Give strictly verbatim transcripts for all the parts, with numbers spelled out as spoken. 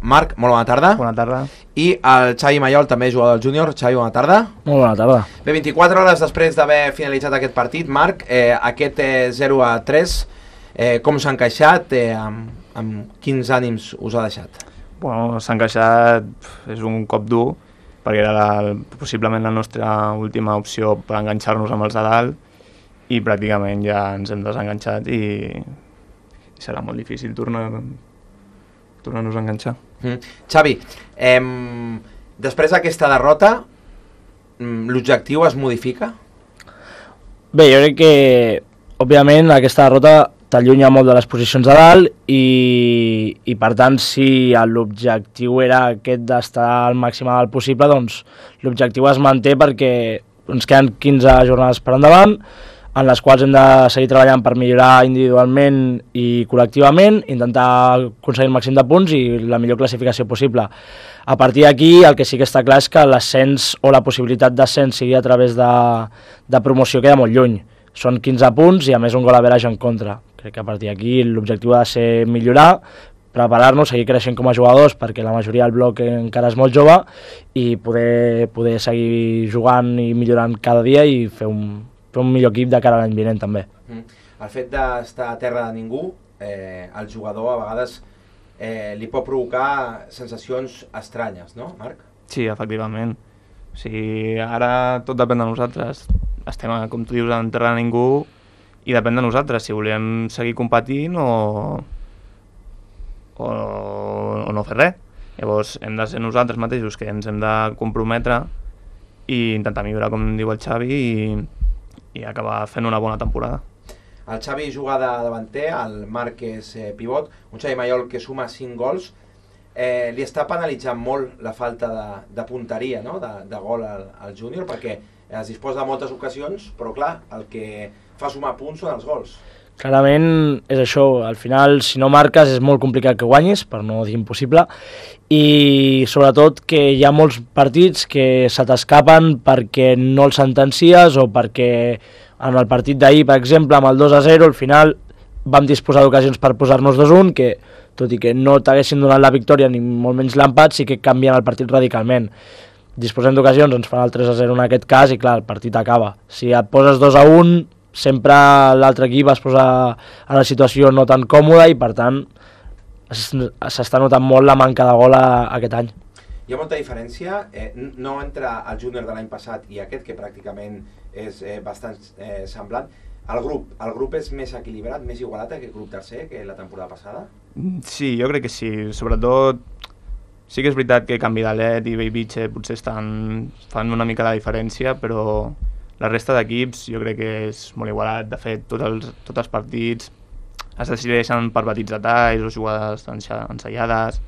Marc, molt bona tarda. Bona tarda. I el Xavi Mayol, també jugador del júnior. Xavi, bona tarda. Molt bona tarda. Bé, vint-i-quatre hores després d'haver finalitzat aquest partit, Marc, eh, aquest eh, zero a tres, eh, com s'ha encaixat, eh, amb, amb quins ànims us ha deixat? Bueno, s'ha encaixat, és un cop dur, perquè era la, possiblement la nostra última opció per enganxar-nos amb els de dalt i pràcticament ja ens hem desenganxat i, i serà molt difícil tornar, tornar-nos a enganxar. Mm. Xavi, eh, després d'aquesta derrota, l'objectiu es modifica? Bé, jo crec que, òbviament, aquesta derrota t'allunya molt de les posicions de dalt i, i per tant, si l'objectiu era aquest d'estar al màxim dalt possible, doncs l'objectiu es manté perquè ens queden quinze jornades per endavant, en les quals hem de seguir treballant per millorar individualment i col·lectivament, intentar aconseguir el màxim de punts i la millor classificació possible. A partir d'aquí, el que sí que està clar és que l'ascens o la possibilitat d'ascens sigui a través de, de promoció queda molt lluny. Són quinze punts i a més un gol average en contra. Crec que a partir d'aquí l'objectiu ha de ser millorar, preparar-nos, seguir creixent com a jugadors perquè la majoria del bloc encara és molt jove i poder, poder seguir jugant i millorant cada dia i fer un, fer un millor equip de cara a l'any vinent també. Mm. El fet d'estar a terra de ningú, eh, el jugador a vegades eh, li pot provocar sensacions estranyes, no, Marc? Sí, efectivament. O sigui, ara tot depèn de nosaltres. Estem, com tu dius, en terra de ningú i depèn de nosaltres, si volem seguir competint o, o, o no fer res. Llavors hem de ser nosaltres mateixos que ens hem de comprometre i intentar millorar, com diu el Xavi, i, i acabar fent una bona temporada. El Xavi juga de davanter, el Marc és eh, pivot, un Xavi Mayol que suma cinc gols. Eh, li està penalitzant molt la falta de, de punteria, no? de, de gol al, al júnior, perquè es disposa de moltes ocasions, però clar, el que fa sumar punts són els gols. Clarament és això, al final si no marques és molt complicat que guanyis, per no dir impossible, i sobretot que hi ha molts partits que se t'escapen perquè no els sentencies o perquè en el partit d'ahir, per exemple, amb el dos a zero, al final vam disposar d'ocasions per posar-nos dos a un, que tot i que no t'haguessin donat la victòria ni molt menys l'empat, sí que canvien el partit radicalment. Disposem d'ocasions, ens fan el tres a zero en aquest cas i clar, el partit acaba. Si et poses dos a un, sempre l'altre equip es posa en una situació no tan còmoda i per tant s'està notant molt la manca de gol a, aquest any. Hi ha molta diferència, eh, no entre el júnior de l'any passat i aquest, que pràcticament és eh, bastant eh, semblant. El grup, el grup és més equilibrat, més igualat que el grup tercer que la temporada passada? Sí, jo crec que sí. Sobretot, sí que és veritat que Canvi d'Alet i Bellvitge potser estan, fan una mica la diferència, però la resta d'equips jo crec que és molt igualat. De fet, tots els, tots els partits es decideixen per petits detalls o jugades ensaiades.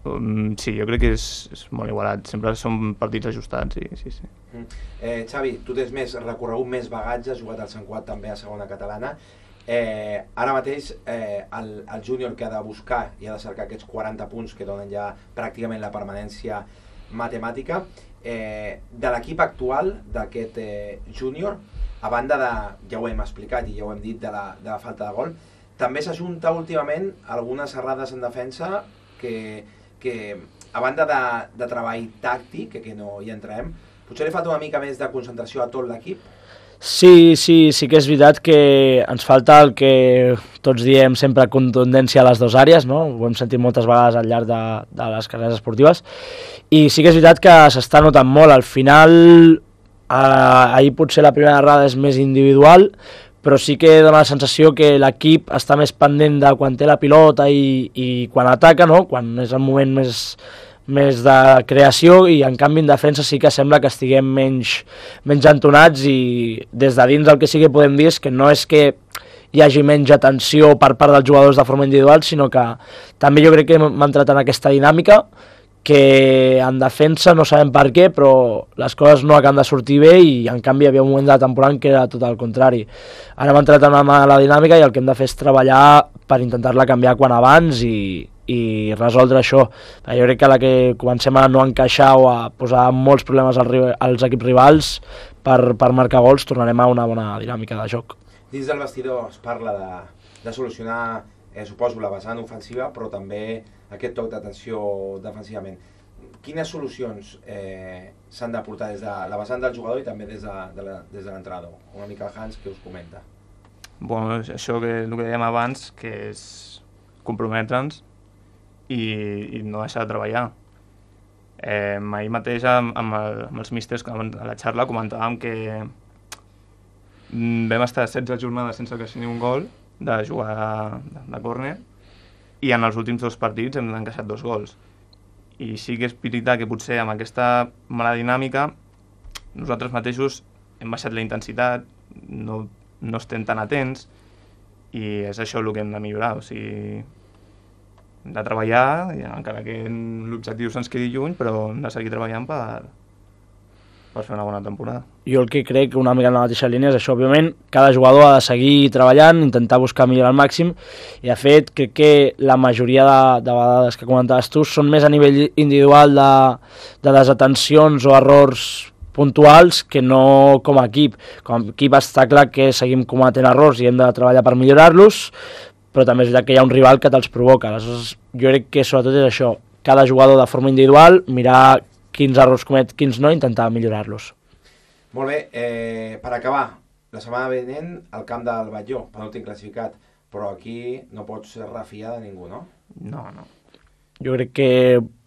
Um, sí, jo crec que és, és molt igualat. Sempre són partits ajustats, sí, sí, sí. Mm. Eh, Xavi, tu tens més recorregut, més bagatge, has jugat al Sant Cugat també a segona catalana. Eh, ara mateix eh, el, el júnior que ha de buscar i ha de cercar aquests quaranta punts que donen ja pràcticament la permanència matemàtica, eh, de l'equip actual d'aquest eh, júnior, a banda de, ja ho hem explicat i ja ho hem dit, de la, de la falta de gol, també s'ajunta últimament algunes errades en defensa que, que a banda de, de treball tàctic, que, que no hi entrem, potser li falta una mica més de concentració a tot l'equip? Sí, sí, sí que és veritat que ens falta el que tots diem sempre, contundència a les dues àrees, no? Ho hem sentit moltes vegades al llarg de, de les carreres esportives, i sí que és veritat que s'està notant molt. Al final, eh, ahir potser la primera errada és més individual, però sí que dona la sensació que l'equip està més pendent de quan té la pilota i, i quan ataca, no? Quan és el moment més... més de creació, i en canvi en defensa sí que sembla que estiguem menys, menys entonats, i des de dins el que sí que podem dir és que no és que hi hagi menys atenció per part dels jugadors de forma individual, sinó que també jo crec que hem entrat en aquesta dinàmica que en defensa no sabem per què, però les coses no acaben de sortir bé i en canvi hi havia un moment de la temporada que era tot el contrari. Ara hem entrat en la dinàmica i el que hem de fer és treballar per intentar-la canviar quan abans i i resoldre això. Jo crec que a la que comencem a no encaixar o a posar molts problemes als, als equips rivals per, per marcar gols, tornarem a una bona dinàmica de joc. Dins del vestidor es parla de, de solucionar, eh, suposo, la vessant ofensiva, però també aquest toc d'atenció defensivament. Quines solucions eh, s'han d'aportar des de la vessant del jugador i també des de, de la, des de l'entrenador? Una mica el Hans, que us comenta. Bueno, això que, el que dèiem abans, que és comprometre'ns i, i no deixar de treballar. Eh, ahir mateix amb, amb, el, amb els místers a la xarra comentàvem que vam estar setze jornades sense que sigui un gol de jugar de, de córner i en els últims dos partits hem encaixat dos gols. I sí que és veritat que potser amb aquesta mala dinàmica nosaltres mateixos hem baixat la intensitat, no, no estem tan atents i és això el que hem de millorar, o sigui, hem de treballar, encara que l'objectiu se'ns quedi lluny, però hem de seguir treballant per, per fer una bona temporada. Jo el que crec, una mica en la mateixa línia, és això, òbviament, cada jugador ha de seguir treballant, intentar buscar millorar al màxim, i de fet crec que la majoria de, de vegades que comentaves tu són més a nivell individual de, de desatencions o errors puntuals que no com a equip. Com a equip està clar que seguim cometent errors i hem de treballar per millorar-los, però també és veritat que hi ha un rival que te'ls provoca. Aleshores, jo crec que sobretot és això, cada jugador de forma individual, mirar quins errors comet, quins no, intentar millorar-los. Molt bé, eh, per acabar, la setmana vinent al camp del Batlló, penúltim classificat, però aquí no pots refiar de ningú, no? No, no. Jo crec que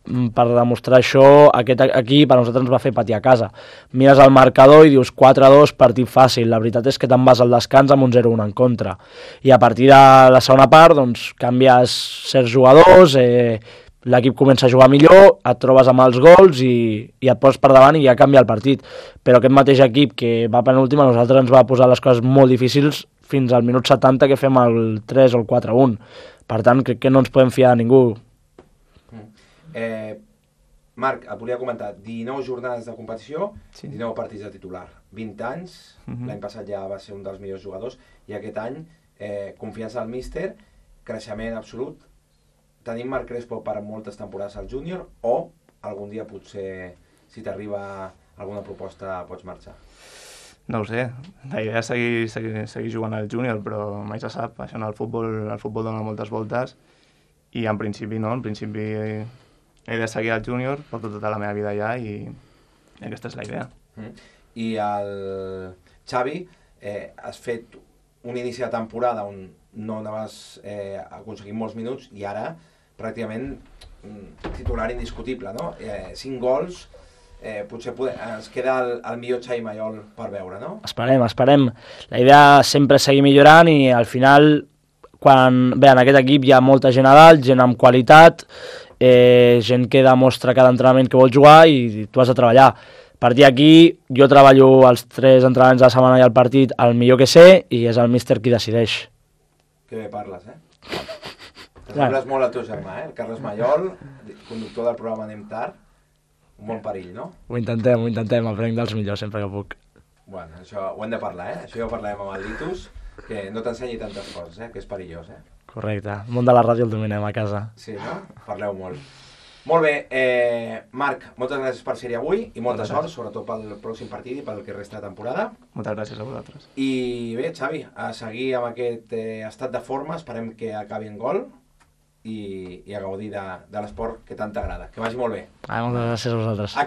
per demostrar això, aquest equip a nosaltres ens va fer patir a casa. Mires el marcador i dius quatre a dos, partit fàcil. La veritat és que te'n vas al descans amb un zero a un en contra. I a partir de la segona part, doncs, canvies certs jugadors, eh, l'equip comença a jugar millor, et trobes amb els gols i, i et poses per davant i ja canvia el partit. Però aquest mateix equip que va penúltim a nosaltres ens va posar les coses molt difícils fins al minut setanta que fem el tres o el quatre a un. Per tant, crec que no ens podem fiar de ningú. Eh, Marc, et volia comentar, dinou jornades de competició, sí. dinou partits de titular, vint anys, uh-huh. L'any passat ja va ser un dels millors jugadors, i aquest any, eh, confiança al míster, creixement absolut. Tenim Marc Crespo per moltes temporades al júnior, o algun dia potser, si t'arriba alguna proposta, pots marxar? No ho sé, la idea és seguir, seguir, seguir jugant al júnior, però mai se sap, això en el futbol, el futbol dona moltes voltes, i en principi no, en principi he de seguir al júnior, porto tota la meva vida allà i aquesta és la idea. Mm. I el Xavi, eh, has fet un inici de temporada on no anaves eh, aconseguint molts minuts i ara pràcticament mm, titular indiscutible, no? Eh, cinc gols, eh, potser poder, ens queda el, el millor Xavi Mayol per veure, no? Esperem, esperem. La idea sempre és seguir millorant i al final, quan bé, en aquest equip hi ha molta gent a dalt, gent amb qualitat, Eh, gent que demostra cada entrenament que vol jugar i tu has de treballar. A partir d'aquí, jo treballo els tres entrenaments de la setmana i el partit el millor que sé i és el míster qui decideix. Que bé parles, eh? T'assembles molt al teu germà, eh? El Carles Mayol, conductor del programa Anem Tard, un bon perill, no? Ho intentem, ho intentem, aprenc dels millors sempre que puc. Bueno, això ho hem de parlar, eh? Això ja ho parlarem amb el Litus, que no t'ensenyi tantes coses, eh? Que és perillós, eh? Correcte. El món de la ràdio el dominem a casa. Sí, no? Parleu molt. Molt bé, eh, Marc, moltes gràcies per ser-hi avui i molta sort, sobretot pel pròxim partit i pel que resta de temporada. Moltes gràcies a vosaltres. I bé, Xavi, a seguir amb aquest eh, estat de forma, esperem que acabi en gol i, i a gaudir de, de l'esport que tant t'agrada. Que vagi molt bé. Ah, moltes gràcies a vosaltres.